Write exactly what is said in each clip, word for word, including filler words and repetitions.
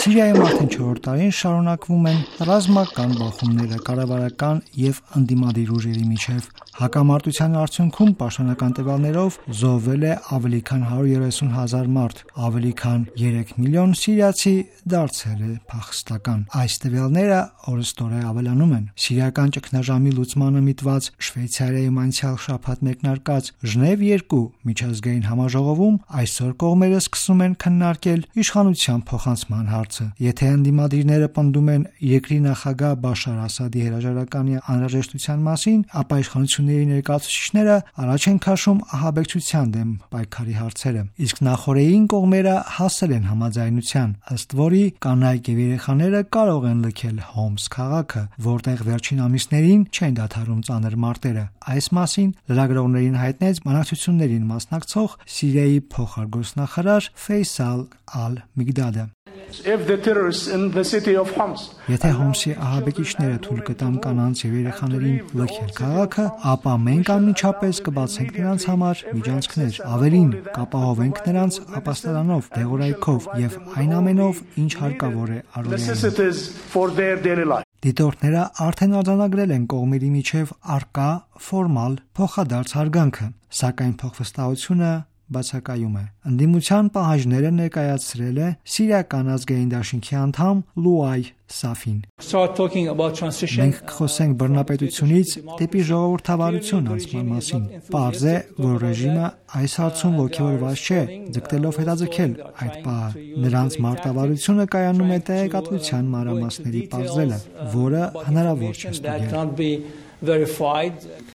Սիրիայում արդեն չորրորդ տարին շարունակվում են ռազմական բախումները կառավարական եւ ընդդիմադիր ուժերի միջև։ Հակամարտության արդյունքում պաշտոնական տվյալներով զոհվել է ավելի քան հարյուր երեսուն հազար մարդ, ավելի քան երեք միլիոն սիրիացի դարձել է փախստական։ Այս տվյալները օրըստօրե ավելանում են։ Սիրիական ճգնաժամի լուծմանը միտված Շվեյցարիայում անցյալ շաբաթ մեկնարկած Ժնև երկու միջազգային համաժողովում այսօր կողմերը սկսում են քննարկել իշխանության փոխանցման հարցը։ Եթե ընդդիմադիրները պնդում են երկրի նախագահ Բաշար Ասադի հրաժարականի անհրաժեշտության մասին, ապա իշխանությունների ներկայացուցիչները առաջ են քաշում ահաբեկչության դեմ պայքարի հարցերը։ Իսկ նախօրեին կողմերը հասել են համաձայնության, ըստ որի կանայք եւ երեխաները կարող են լքել Հոմս քաղաքը, որտեղ վերջին ամիսներին չեն դադարում ծանր մարտերը։ Այս մասին լրագրողներին հայտնեց բանակցություններին մասնակցող Սիրիայի փոխարգոսնախարար Ֆեյսալ Ալ-Միգդադը։ If the terrorists in the city of Homs Եթե Հոմսի ահաբեկիչները թույլ կտան կանանց եւ երեխաներին լքել քաղաքը, ապա մենք անմիջապես կբացենք նրանց համար միջանցքներ, ավելին կապահովենք նրանց ապաստարանով, դեղորայքով եւ այն ամենով, ինչ հարկավոր է առօրյա։ Դիտորդները արդեն արձանագրել են կողմերի միջև արկա ֆորմալ փոխադարձ հարգանքը, սակայն փոխվստահությունը բացակայում է։ Ընդդիմության պահանջները ներկայացրել է Սիրիական ազգային դաշինքի անդամ Լուայ Սաֆին։ Մենք կխոսենք բռնապետությունից դեպի ժողովրդավարություն անցման մասին։ Պարզ է, որ ռեժիմը այս հարցում ոգևորված չէ, ձգտելով հետաձգել այդ պահը։ Նրանց մարտավարությունը կայանում է տեղեկատվության մանրամասների պարզելը, որը հնարավոր չէ ստուգել։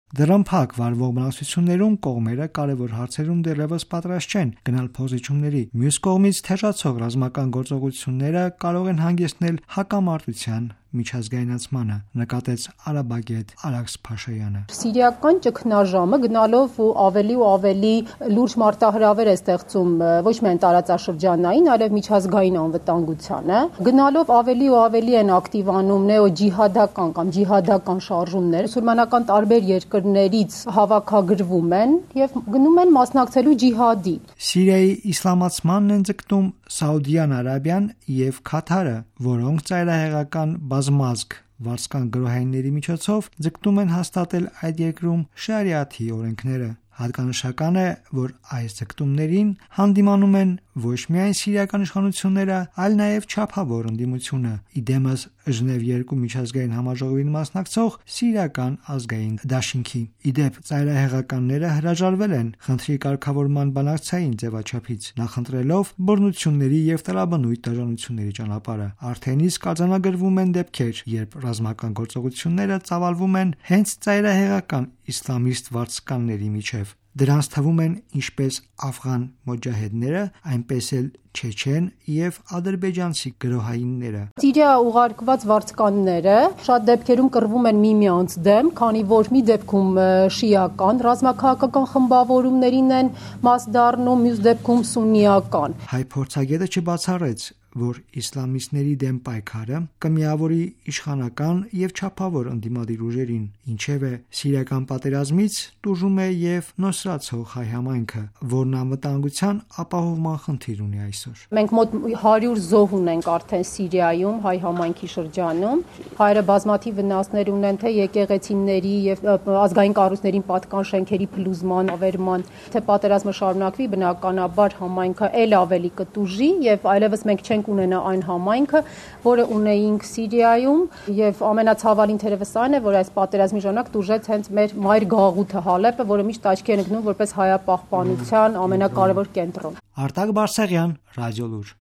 Դրամփակ վարվող բանակցություններում կողմերը կարևոր հարցերում դեռևս պատրաստ չեն գնալ փոխզիջումների։ Մյուս կողմից թեժացող ռազմական գործողությունները կարող են հանգեցնել հակամարտության միջազգայնացմանը, նկատեց արաբագետ Ալաքս Փաշայանը։ Սիրիական ճգնաժամը գնալով ու ավելի ու ավելի լուրջ մարտահրավեր է ստեղծում ոչ միայն տարածաշրջանային, այլև միջազգային անվտանգությանը։ Գնալով ավելի ու ավելի են ակտիվանում նեոջիհադական կամ ջիհադական շարժումներ, մուսուլմանական տարբեր երկրներից հավաքագրվում են եւ գնում են մասնակցելու ջիհադի։ Սիրիայի իսլամացմանն են ձգտում Սաուդյան Արաբիան եւ Քաթարը, որոնք ծայրահեղական բազմազգ վարձկան գրոհայինների միջոցով ձգտում են հաստատել այդ երկրում շարիաթի օրենքները։ Հատկանշական է, որ այս ձգտումներին հանդիմանում են ոչ միայն սիրիական իշխանությունները, այլ նաև չափավոր ընդդիմությունը։ Իդեմս Ժնև երկու միջազգային համաժողովին մասնակցող Սիրիական ազգային դաշինքի։ Իդեպ ծայրահեղականները հրաժարվել են խնդրի կարգավորման բանակցային ձևաչափից, նախընտրելով բռնությունների եւ տրաբնույթ դաժանությունների ճանապարհը։ Արդեն իսկ արձանագրվում են դեպքեր, երբ ռազմական գործողությունները ծավալվում են հենց ծայրահեղական իսլամիստ վարձկանների միջև։ Դրանց թվում են ինչպես աֆղան մոջահեդները, այնպես էլ չեչեն եւ ադրբեջանցի գրոհայինները։ Սիրիա ուղարկված վարձկանները շատ դեպքերում կռվում են միմյանց դեմ, քանի որ մի դեպքում շիական ռազմաքաղաքական խմբավորումներին են մաս դառնում, մյուս դեպքում սուննիական։ Հայ փորձագետը չբացառեց, որ իսլամիստների դեմ պայքարը կմիավորի իշխանական եւ չափավոր ընդդիմադիր ուժերին, ինչևէ սիրիական պատերազմից տուժում է եւ նոսրացող հայ համայնքը, որն անվտանգության ապահովման խնդիր ունի այսօր։ Մենք մոտ հարյուր զոհ ունենք արդեն Սիրիայում հայ համայնքի շրջանում։ Հայերը բազմաթիվ վնասներ ունեն թե եկեղեցիների եւ ազգային կառույցներին պատկան շենքերի փլուզման, ավերման, թե պատերազմը շարունակվի, բնականաբար համայնքը ել ավելի կտուժի եւ այլևս մենք չենք ունենա այն համայնքը, որը ունեինք Սիրիայում, եւ ամենացավալին թերևս այն է, որ այս պատերազմի ժամանակ տուժեց հենց մեր մայր գաղութը Հալեպը, որը միշտ աչքի է ընկնում որպես հայապահպանության ամենակարևոր կենտրոն։ Արտակ Բարսեղյան, Ռադիոլուր։